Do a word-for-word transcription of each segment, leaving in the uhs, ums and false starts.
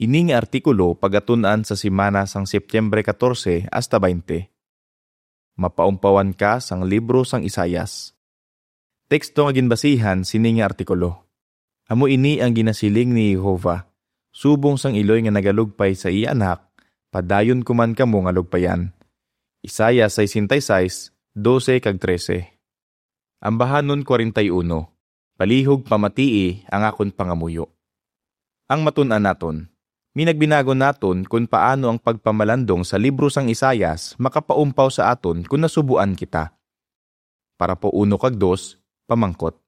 Ini nga artikulo pagatun-an sa semana sang Septyembre katorse hasta baynte. Mapaumpawan ka sang libro sang Isaias. Teksto nga ginbasihan sini nga artikulo. Amo ini ang ginasiling ni Jehovah, subong sang iloy nga nagalugpay sa iya anak, padayon ko man kamo nga lugpayan. Isaias sesenta y seis, dose kag trese. Ambahanon kwarenta y uno, palihog pamatii ang akon pangamuyo. Ang matun-an naton, minagbinagon naton kon paano ang pagpamalandong sa libro sang Isaias makapaumpaw sa aton kon nasubuan kita. Parapo uno kag dos, pamangkot,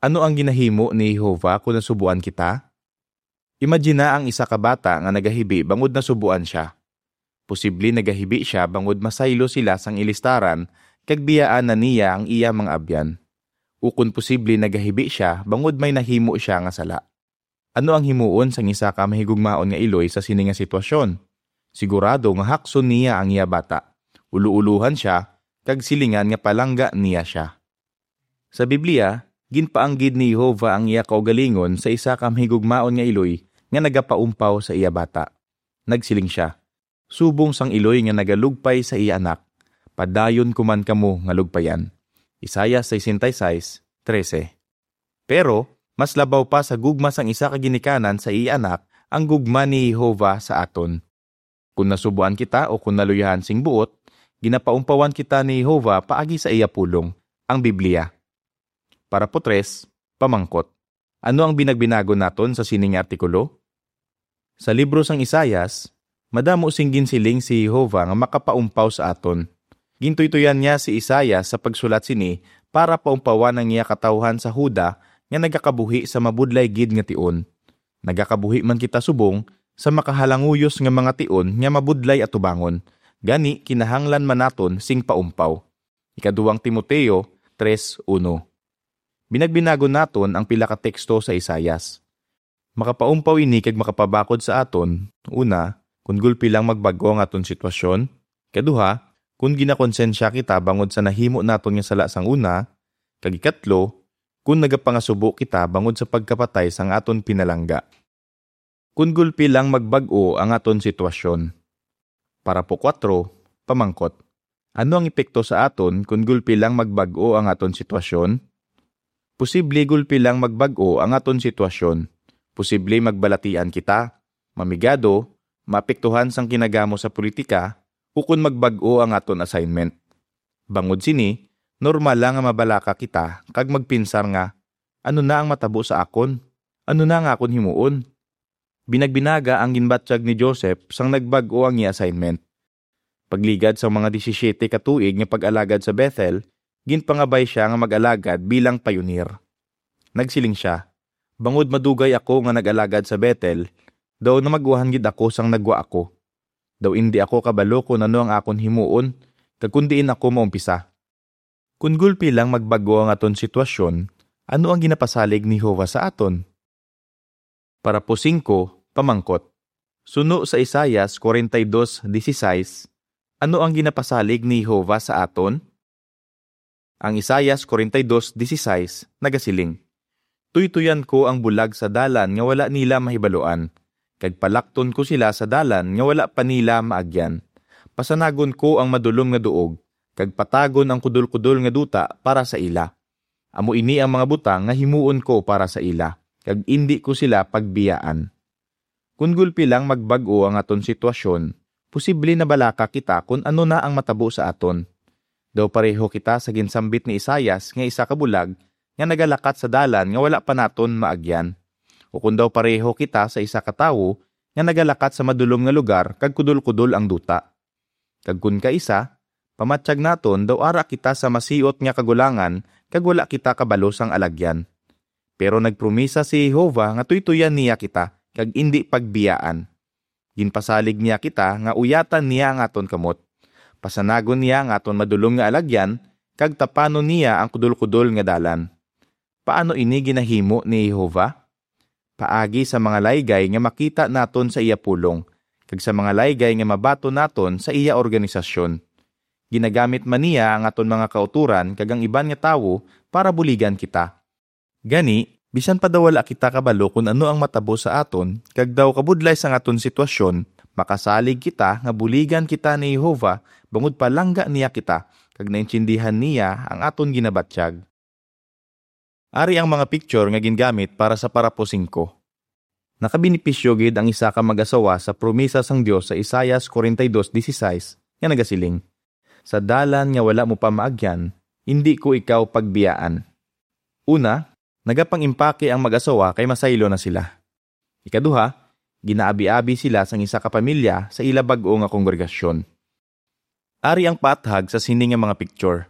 ano ang ginahimo ni Jehovah kon nasubuan kita? Imagina ang isa ka bata nga nagahibi bangod nasubuan sia. Posible nagahibi sia bangod masaylo sila sang ilistaran kag biyaan na niya ang iya mga abyan. Ukon posible nagahibi sia bangod may nahimo sia nga sala. Ano ang himuon sang isa ka mahigugmaon nga iloy sa sini nga sitwasyon? Sigurado nga hakson niya ang iya bata, ulo-ulohan sia, kag silingan nga palangga niya sia. Sa Biblia, ginpaanggid ni Jehovah ang iya kaugalingon sa isa ka mahigugmaon nga iloy nga nagapaumpaw sa iya bata. Nagsiling sia, "Subong sang iloy nga nagalugpay sa iya anak, padayon ko man kamo nga lugpayan." Isaias sesenta y seis, trese. Pero mas labaw pa sa gugma sang isa ka ginikanan sa iya anak ang gugma ni Jehovah sa aton. Kon nasubuan kita o kon naluyahan sing buot, ginapaumpawan kita ni Jehovah paagi sa iya pulong, ang Biblia. Parapo tres, pamangkot, ano ang binagbinagon naton sa sini nga artikulo? Sa libro sang Isaias, madamo sing ginsiling si Jehovah nga makapaumpaw sa aton. Gintuytoyan niya si Isaias sa pagsulat sini para paumpawan ang iya katawuhan sa Juda nga nagakabuhi sa mabudlay gid nga tion. Nagakabuhi man kita subong sa makahalanguyos nga mga tion nga mabudlay atubangon, gani kinahanglan man naton sing paumpaw. Ikaduhang Timoteo tres uno. Binagbinagon naton ang pila ka teksto sa Isaias. Makapaumpaw ini kag makapabakod sa aton, una, kon gulpi lang magbag-o ang aton sitwasyon, kaduha, kon ginakonsensya kita bangod sa nahimo naton nga sala sang una, kag ikatlo, kon nagapangasubo kita bangod sa pagkapatay sang aton pinalangga. Kon gulpi lang magbag-o ang aton sitwasyon. Parapo kuwatro, pamangkot, ano ang epekto sa aton kon gulpi lang magbag-o ang aton sitwasyon? Posible gulpi lang magbag-o ang aton sitwasyon. Posible magbalatian kita, mamigado, maapektuhan sang kinagamo sa politika, ukon magbag-o ang aton assignment. Bangod sini, normal lang nga mabalaka kita kag magpinsar nga, "Ano na ang matabo sa akon? Ano na ang akon himuon?" Binagbinaga ang ginbatyag ni Joseph sang nagbag-o ang iya assignment. Pagligad sang mga disisiete ka tuig nga pag-alagad sa Bethel, ginpangabay sia nga mag-alagad bilang payunir. Nagsiling sia, "Bangod madugay ako nga nag-alagad sa Bethel, daw namag-uhan gid ako sang nagwa ako. Daw indi ako kabalo kon ano ang akon himuon kag kon diin ako maumpisa." Kon gulpi lang magbag-o ang aton sitwasyon, ano ang ginapasalig ni Jehovah sa aton? Parapo singko, pamangkot. Suno sa Isaias forty-two dieciséis, ano ang ginapasalig ni Jehovah sa aton? Ang Isaias forty-two dieciséis nagasiling, "Tuytuyan ko ang bulag sa dalan nga wala nila mahibaluan, kag palakton ko sila sa dalan nga wala pa nila maagyan. Pasanagon ko ang madulom nga duog, kag patagon ang kudolkudol nga duta para sa ila. Amo ini ang mga butang nga himuon ko para sa ila, kag indi ko sila pagbiyaan." Kon gulpi lang magbag-o ang aton sitwasyon, posible nabalaka kita kon ano na ang matabo sa aton. Daw pareho kita sa ginsambit ni Isaias nga isa ka bulag nga nagalakat sa dalan nga wala pa naton maagyan. Ukon daw pareho kita sa isa ka tawo nga nagalakat sa madulom nga lugar kag kudolkudol ang duta. Kag kon kaisa, pamatyag naton daw ara kita sa masiot nga kagulangan kag wala kita kabalo sang alagyan. Pero nagpromisa si Jehovah nga tuytuyan niya kita kag indi pagbiyaan. Ginpasalig niya kita nga uyatan niya ang aton kamot, pasanagon niya ang aton madulom nga alagyan, kag tapanon niya ang kudolkudol nga dalan. Paano ini ginahimo ni Jehovah? Paagi sa mga laygay nga makita naton sa iya pulong, kag sa mga laygay nga mabaton naton sa iya organisasyon. Ginagamit man niya ang aton mga kautoran kag ang iban nga tawo para buligan kita. Gani, Bisan pa daw wala kita kabalo kon ano ang matabo sa aton, kag daw kabudlay sang aton sitwasyon, makasalig kita nga buligan kita ni Jehovah bangod palangga niya kita, kag naintindihan niya ang aton ginabatyag. Ari ang mga picture nga gingamit para sa parapo singko. Nakabenepisyo gid ang isa ka mag-asawa sa promesa sang Dios sa Isaias forty-two sixteen nga nagasiling, "Sa dalan nga wala mo pamaagyan, indi ko ikaw pagbiyaan." Una, nagapang-impake ang mag-asawa kay masaylo na sila. Ikaduha, ginaabi-abi sila sang isa ka pamilya sa ila bag-o nga kongregasyon. Ari ang paathag sa sini nga mga picture.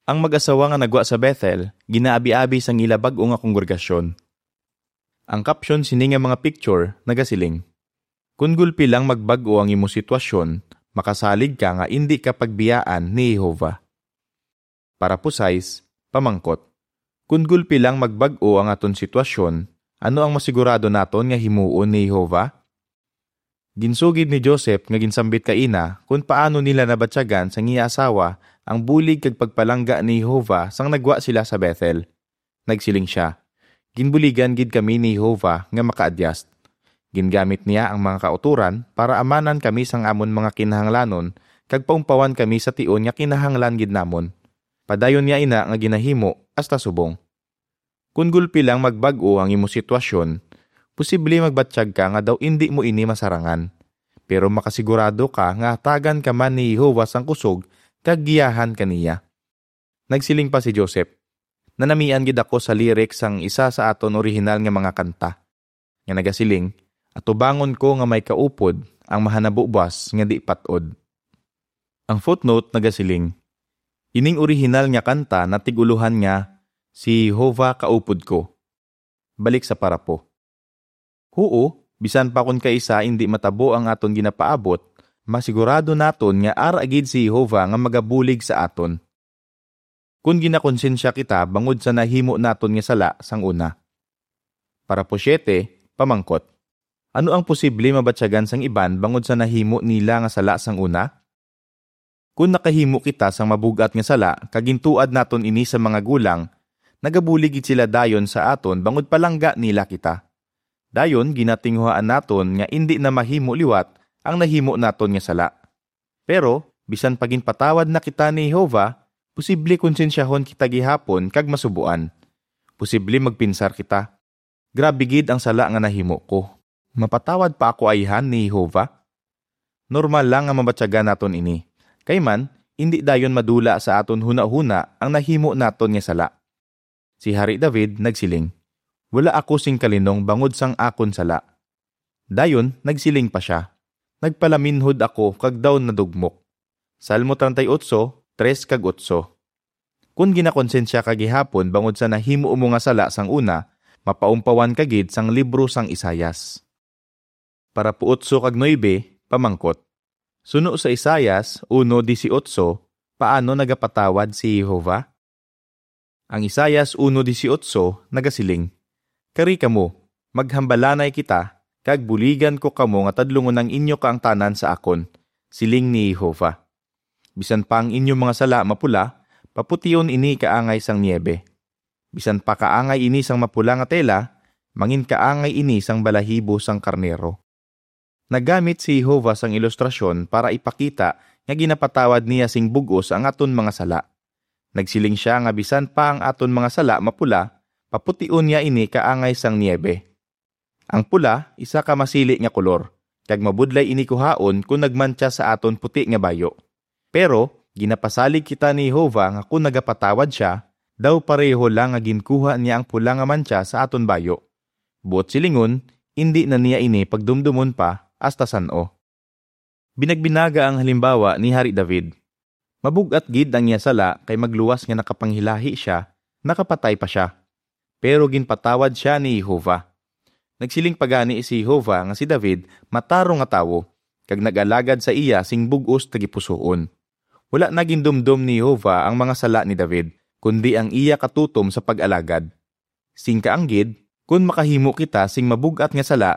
Ang mag-asawa nga nagwa sa Bethel ginaabi-abi sang ila bag-o nga kongregasyon. Ang caption sini nga mga picture nagasiling, "Kun gulpi lang magbag-o ang imo sitwasyon, makasalig ka nga indi ka pagbiyaan ni Jehovah." Parapo sais, pamangkot, kun gulpi lang magbag-o ang aton sitwasyon, ano ang masigurado naton nga himuon ni Jehovah? Ginsugid ni Joseph nga ginsambit kaina kon paano nila nabatyagan sang iya asawa ang bulig kag pagpalangga ni Jehovah sang nagwa sila sa Bethel. Nagsiling sia, "Ginbuligan gid kami ni Jehovah nga makaadyast. Gingamit niya ang mga kautoran para amanan kami sang amon mga kinahanglanon kag paumpawan kami sa tion nga kinahanglan gid namon. Padayon niya ina nga ginahimo hasta subong." Kun gulpi lang magbag-o ang imo sitwasyon, posible magbatyag ka nga daw indi mo ini masarangan. Pero makasigurado ka nga hatagan ka man ni Jehovah sang kusog kag giyahan ka niya. Nagsiling pa si Joseph, "Nanamian gid ako sa lyrics sang isa sa aton orihinal nga mga kanta, nga nagasiling, 'Atubangon ko nga may kaupod ang mahanabo buas nga di pat-od.'" Ang footnote nagasiling, "Ining orihinal nga kanta natig-ulohan nga, 'Si Jehovah kaupod ko.'" Balik sa parapo. Huo, bisan pa kon kaisa indi matabo ang aton ginapaabot, masigurado naton nga ara gid si Jehovah nga magabulig sa aton. Kun ginakonsensya kita bangod sa nahimo naton nga sala sang una. Parapo siete, pamangkot, ano ang posible mabatyagan sang iban bangod sa nahimo nila nga sala sang una? Kon nakahimo kita sang mabug-at nga sala kag gintuad naton ini sa mga gulang, nagabulig gid sila dayon sa aton bangod palangga nila kita. Dayon ginatinguhaan naton nga indi na mahimo liwat ang nahimo naton nga sala. Pero bisan pa ginpatawad na kita ni Jehovah, posible konsensyahon kita gihapon kag masubuan. Posible magpinsar kita, "Grabe gid ang sala nga nahimo ko. Mapatawad pa ako ayhan ni Jehovah?" Normal lang nga mabatyagan naton ini. Kay man, indi dayon madula sa aton hunahuna ang nahimo naton nga sala. Si Hari David nagsiling, "Wala ako sing kalinong bangod sang akon sala." Dayon nagsiling pa sia, "Nagpalaminhod ako kag daw nadugmok." Salmo treinta y ocho, tres kag otso. Kun ginakonsensya ka gihapon bangod sa nahimo mo nga sala sang una, mapaumpawan ka gid sang libro sang Isaias. Parapo otso kag nuebe, pamangkot. Suno sa Isaias uno dieciocho, paano nagapatawad si Jehovah? Ang Isaias uno dieciocho nagasiling, "Kari kamo, maghambalanay kita, kag buligan ko kamo nga tadlungon ang inyo kaangtanan sa akon," siling ni Jehovah. "Bisan pa ang inyo mga sala mapula, papution ini kaangay sang niebe. Bisan pa kaangay ini sang mapula nga tela, manginkaangay ini sang balahibo sang karnero." Naggamit si Jehovah sang ilustrasyon para ipakita nga ginapatawad niya sing bug-os ang aton mga sala. Nagsiling sia nga bisan pa ang aton mga sala mapula, papution niya ini kaangay sang niebe. Ang pula, isa ka masili nga kolor, kag mabudlay ini kuhaon kon nagmantsa sa aton puti nga bayo. Pero ginapasalig kita ni Jehovah nga kon nagapatawad sia, daw pareho lang nga ginkuha niya ang pula nga mantsa sa aton bayo. Buot silingon, indi na niya ini pagdumdomon pa hasta san-o. Binagbinaga ang halimbawa ni Hari David. Mabug-at gid ang iya sala kay magluwas nga nakapanghilahi sia, nakapatay pa sia. Pero ginpatawad sia ni Jehovah. Nagsiling pa gani si Jehovah nga si David matarong nga tawo, kag nag-alagad sa iya sing bug-os tagipusoon. Wala na gindumdom ni Jehovah ang mga sala ni David, kundi ang iya katutom sa pag-alagad. Sing kaanggid, kon makahimo kita sing mabug-at nga sala,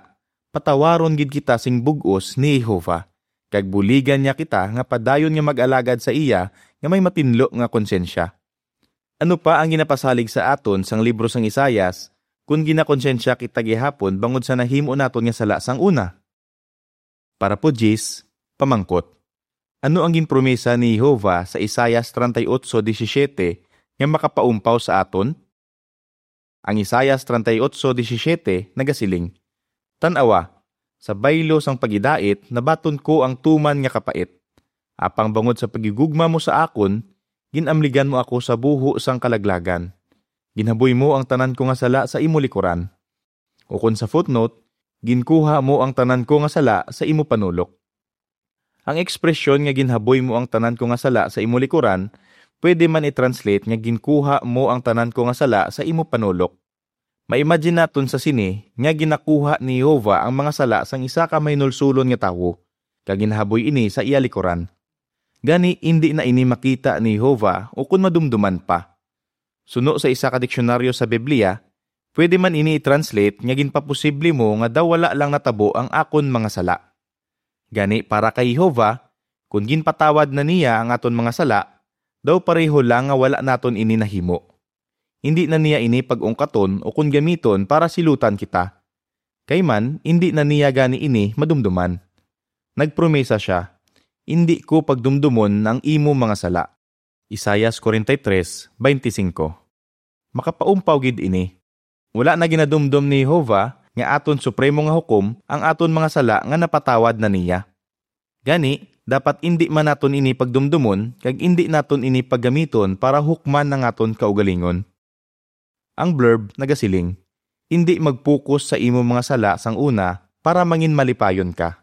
patawaron gid kita sing bug-os ni Jehovah, kag buligan niya kita nga padayon nga mag-alagad sa iya nga may matinlo nga konsensya. Ano pa ang ginapasalig sa aton sang libro sang Isaias kon ginakonsensya kita gihapon bangod sa nahimo naton nga sala sang una? Parapo diyes, pamangkot. Ano ang ginpromesa ni Jehovah sa Isaias treinta y ocho diecisiete nga makapaumpaw sa aton? Ang Isaias treinta y ocho diecisiete nagasiling, "Tan-awa, sa baylo sang pagidait nabaton ko ang tuman nga kapait. Apang bangod sa paghigugma mo sa akon, ginamligan mo ako sa buho sang kalaglagan. Ginhaboy mo ang tanan ko nga sala sa imo likuran." Ukon sa footnote, "Ginkuha mo ang tanan ko nga sala sa imo panulok." Ang ekspresyon nga "ginhaboy mo ang tanan ko nga sala sa imo likuran" pwede man i-translate nga "ginkuha mo ang tanan ko nga sala sa imo panulok." Ma-imagine naton sa sini nga ginakuha ni Jehovah ang mga sala sang isa ka mahinulsolon nga tawo, kag ginhaboy ini sa iya likuran. Gani, indi na ini makita ni Jehovah ukon madumduman pa. Suno sa isa ka diksyonaryo sa Biblia, pwede man ini i-translate nga "ginpaposible mo nga daw wala lang natabo ang akon mga sala." Gani, para kay Jehovah, kon ginpatawad na niya ang aton mga sala, daw pareho lang nga wala naton ini nahimo. Indi na niya ini pag-ungkaton ukon gamiton para silutan kita. Kay man, indi na niya gani ini madumduman. Nagpromesa sia, "Indi ko pagdumdomon ang imo mga sala." Isaias forty-three twenty-five. Makapaumpaw gid ini. Wala na ginadumdom ni Jehovah nga aton supremo nga hukom ang aton mga sala nga napatawad na niya. Gani, dapat indi man naton ini pagdumdomon kag indi naton ini paggamiton para hukman ang aton kaugalingon. Ang blurb nagasiling, "Indi magpukos sa imo mga sala sang una para mangin malipayon ka."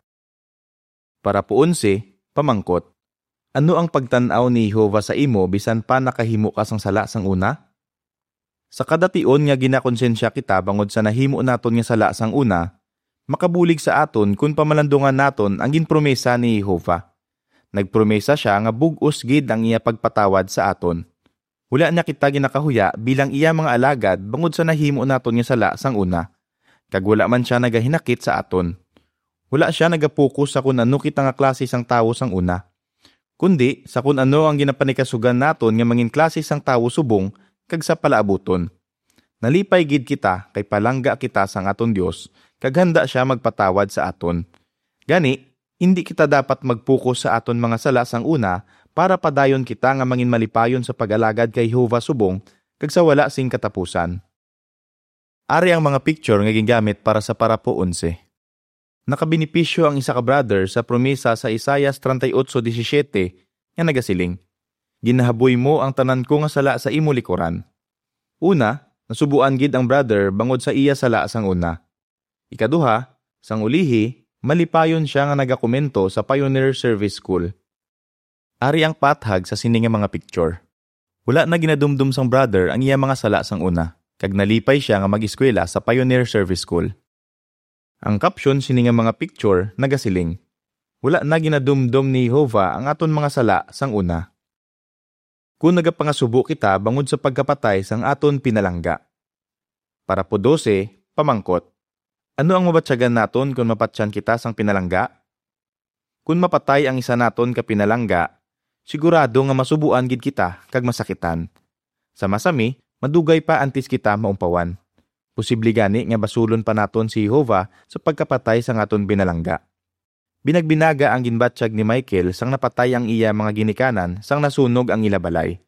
Parapo onse, pamangkot, ano ang pagtan-aw ni Jehovah sa imo bisan pa nakahimo ka sang sala sang una? Sa kada tion nga ginakonsensya kita bangod sa nahimo naton nga sala sang una, makabulig sa aton kon pamalandungan naton ang ginpromesa ni Jehovah. Nagpromesa sia nga bug-os gid ang iya pagpatawad sa aton. Wala niya kita ginakahuya bilang iya mga alagad bangod sa nahimo naton nga sala sang una, kag wala man sia nagahinakit sa aton. Wala sia nagapokus sa kon ano kita nga klase sang tawo sang una, kundi sa kon ano ang ginapanikasugan naton nga mangin klase sang tawo subong kag sa palaabuton. Nalipay gid kita kay palangga kita sang aton Dios kag handa sia magpatawad sa aton. Gani, indi kita dapat magpokus sa aton mga sala sang una para padayon kita nga mangin malipayon sa pag-alagad kay Jehovah subong kag sa wala sing katapusan. Ari ang mga picture nga gingamit para sa parapo onse. Nakabenepisyo ang isa ka brother sa promesa sa Isaias treinta y ocho diecisiete nga nagasiling, "Ginahaboy mo ang tanan ko nga sala sa imo likuran." Una, nasubuan gid ang brother bangod sa iya sala sang una. Ikaduha, sang ulihi, malipayon sia nga nagakomento sa Pioneer Service School. Ari ang pathag sa sini nga mga picture. Wala na ginadumdom sang brother ang iya mga sala sang una, kag nalipay sia nga mag-eskwela sa Pioneer Service School. Ang caption sini nga mga picture nagasiling, "Wala na ginadumdom ni Jehovah ang aton mga sala sang una." Kon nagapangasubo kita bangod sa pagkapatay sang aton pinalangga. Parapo dose, pamangkot, ano ang mabatyagan naton kon mapatyan kita sang pinalangga? Kon mapatay ang isa naton ka pinalangga, sigurado nga masubuan gid kita kag masakitan. Sa masami, madugay pa antes kita maumpawan. Posible gani nga basulon pa naton si Jehovah sa pagkapatay sang aton pinalangga. Binagbinaga ang ginbatyag ni Michael sang napatay ang iya mga ginikanan sang nasunog ang ila balay.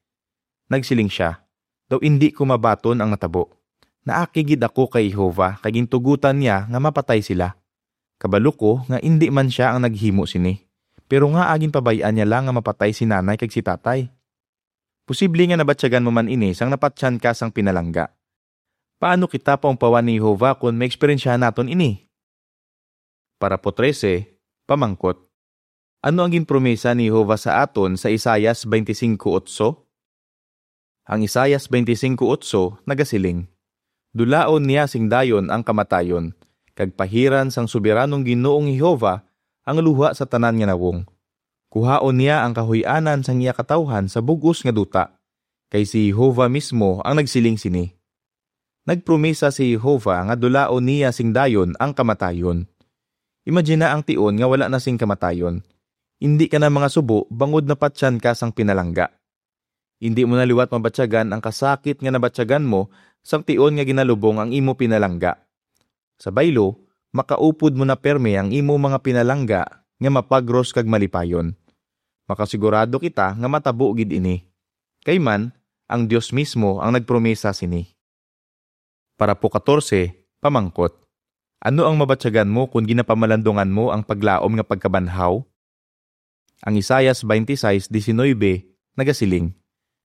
Nagsiling sia, "Daw indi ko mabaton ang natabo. Naaki gid ako kay Jehovah kay gintugotan niya nga mapatay sila. Kabalo ko nga indi man sia ang naghimo sini. Pero ngaa ginpabay-an niya lang nga mapatay si nanay kag si tatay? Posible nga nabatyagan mo man ini sang napatyan ka sang pinalangga." Paano kita paumpawan ni Jehovah kon maeksperiensyahan naton ini? Parapo trese, pamangkot, ano ang ginpromesa ni Jehovah sa aton sa Isaias twenty-five eight? Ang Isaias twenty-five eight nagasiling, "Dulaon niya sing dayon ang kamatayon, kag pahiran sang Soberanong Ginoong Jehovah ang luha sa tanan nga nawong. Kuhaon niya ang kahuy-anan sang iya katawhan sa bug-os nga duta, kay si Jehovah mismo ang nagsiling sini." Nagpromesa si Jehovah nga dulaon niya sing dayon ang kamatayon. Imagina ang tion nga wala na sing kamatayon. Indi ka na mangasubo bangod napatyan ka sang pinalangga. Indi mo na liwat mabatyagan ang kasakit nga nabatyagan mo sang tion nga ginalubong ang imo pinalangga. Sa baylo, makaupod mo na pirme ang imo mga pinalangga nga mapagros kag malipayon. Makasigurado kita nga matabo gid ini. Kay man, ang Dios mismo ang nagpromesa sini. Parapo katorse, pamangkot. Ano ang mabatyagan mo kon ginapamalandungan mo ang paglaom nga pagkabanhaw? Ang Isaias twenty-six diecinuebe nagasiling,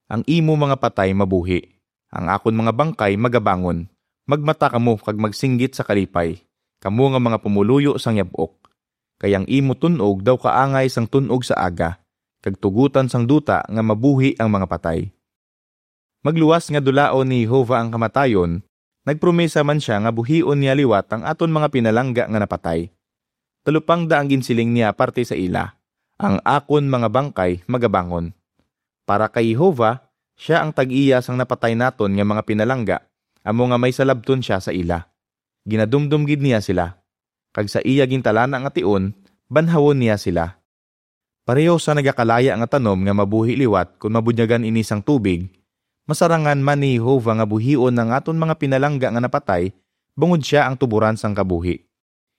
"Ang imo mga patay mabuhi, ang akon mga bangkay magabangon. Magmata kamo kag magsinggit sa kalipay, kamo nga mga pumuluyo sang yab-ok. Kay ang imo tun-og daw kaangay sang tun-og sa aga, kag tugotan sang duta nga mabuhi ang mga patay." Magluwas nga dulaon ni Jehovah ang kamatayon, nagpromesa man sia nga buhion niya liwat ang aton mga pinalangga nga napatay. Talupangda ang ginsiling niya parte sa ila, "Ang akon mga bangkay magabangon." Para kay Jehovah, sia ang tag-iya sang napatay naton nga mga pinalangga, amo nga may salabton sia sa ila. Ginadumdom gid niya sila, kag sa iya gintalana nga tion, banhawon niya sila. Pareho sa nagakalaya nga tanom nga mabuhi liwat kon mabunyagan ini sang tubig, masarangan man ni Jehovah nga buhion ang aton mga pinalangga nga napatay, bangod sia ang tuboran sang kabuhi.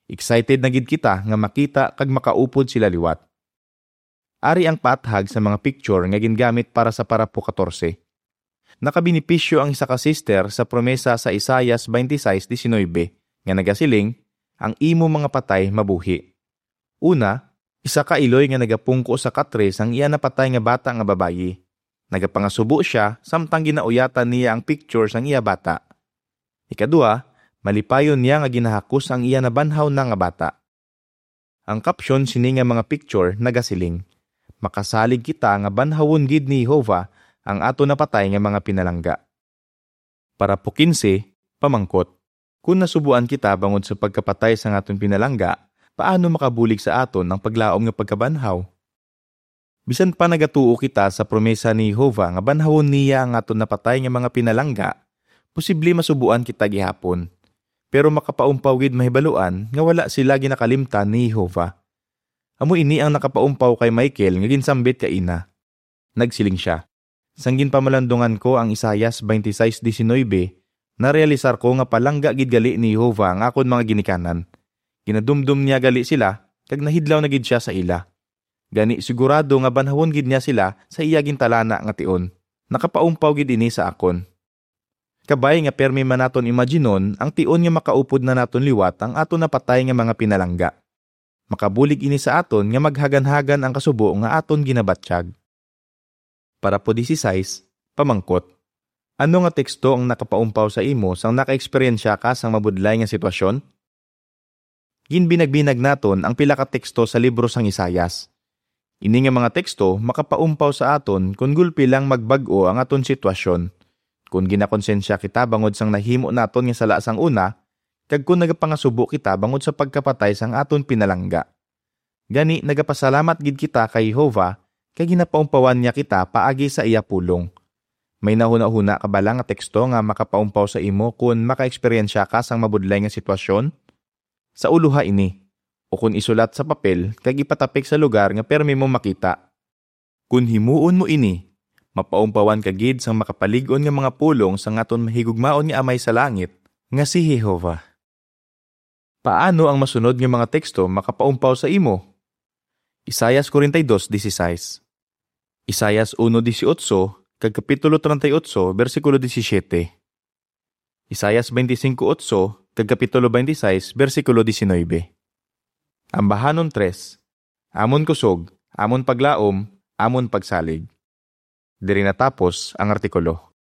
Excited na gid kita nga makita kag makaupod sila liwat. Ari ang paathag sa mga picture nga gingamit para sa parapo katorse. Nakabenepisyo ang isa ka sister sa promesa sa Isaias twenty-six diecinuebe nga nagasiling, "Ang imo mga patay mabuhi." Una, isa ka iloy nga nagapungko sa katre sang iya napatay nga bata nga babayi. Nagapangasubo sia samtang ginauyatan niya ang picture sang iya bata. Ikadua, malipayon niya nga ginahakos ang iya nabanhaw na nga bata. Ang caption sini nga mga picture nagasiling, "Makasalig kita nga banhawon gid ni Jehovah ang aton napatay nga mga pinalangga." Parapo kinse, pamangkot. Kon nasubuan kita bangod sa pagkapatay sang aton pinalangga, paano makabulig sa aton ang paglaom nga pagkabanhaw? Bisan pa nagatuo kita sa promesa ni Jehovah nga banhawon niya ang aton napatay nga mga pinalangga, posible masubuan kita gihapon. Pero makapaumpaw gid mahibaluan nga wala sila ginakalimtan ni Jehovah. Amo ini ang nakapaumpaw kay Michael nga ginsambit kaina. Nagsiling sia, "Sang ginpamalandungan ko ang Isaias twenty-six diecinuebe, narealisar ko nga palangga gid gali ni Jehovah ang akon mga ginikanan. Ginadumdom niya gali sila, kag nahidlaw na gid sia sa ila. Gani, sigurado nga banhawon gid niya sila sa iya gintalana nga tion. Nakapaumpaw gid ini sa akon." Kabay nga pirme man naton imaginon ang tion nga makaupod na naton liwat ang aton napatay nga mga pinalangga. Makabulig ini sa aton nga maghaganhagan ang kasubo nga aton ginabatyag. Parapo dieciséis, pamangkot. Ano nga teksto ang nakapaumpaw sa imo sang nakaeksperyensya ka sang mabudlay nga sitwasyon? Ginbinagbinag naton ang pila ka teksto sa libro sang Isaias. Ini nga mga teksto makapaumpaw sa aton kon gulpi lang magbag-o ang aton sitwasyon, kon ginakonsensya kita bangod sang nahimo naton nga sala sang una, kag kon nagapangasubo kita bangod sa pagkapatay sang aton pinalangga. Gani, nagapasalamat gid kita kay Jehovah kay ginapaumpawan niya kita paagi sa iya pulong. May nahunahuna ka bala nga teksto nga makapaumpaw sa imo kon makaeksperyensya ka sang mabudlay nga sitwasyon? Sauloha ini, ukon isulat sa papel kag ipatapik sa lugar nga pirme mo makita. Kon himuon mo ini, mapaumpawan ka gid sang makapalig-on nga mga pulong sang aton mahigugmaon nga Amay sa langit, nga si Jehovah. Paano ang masunod nga mga teksto makapaumpaw sa imo? Isaias forty-two dieciséis, Isaias uno dieciocho, kag kapitulo treinta y ocho, bersikulo disisiete. Isaias veinticinco ocho, kag kapitulo veintiséis, bersikulo diecinuebe. Ambahanon tres, amon kusog, amon paglaom, amon pagsalig. Diri natapos ang artikulo.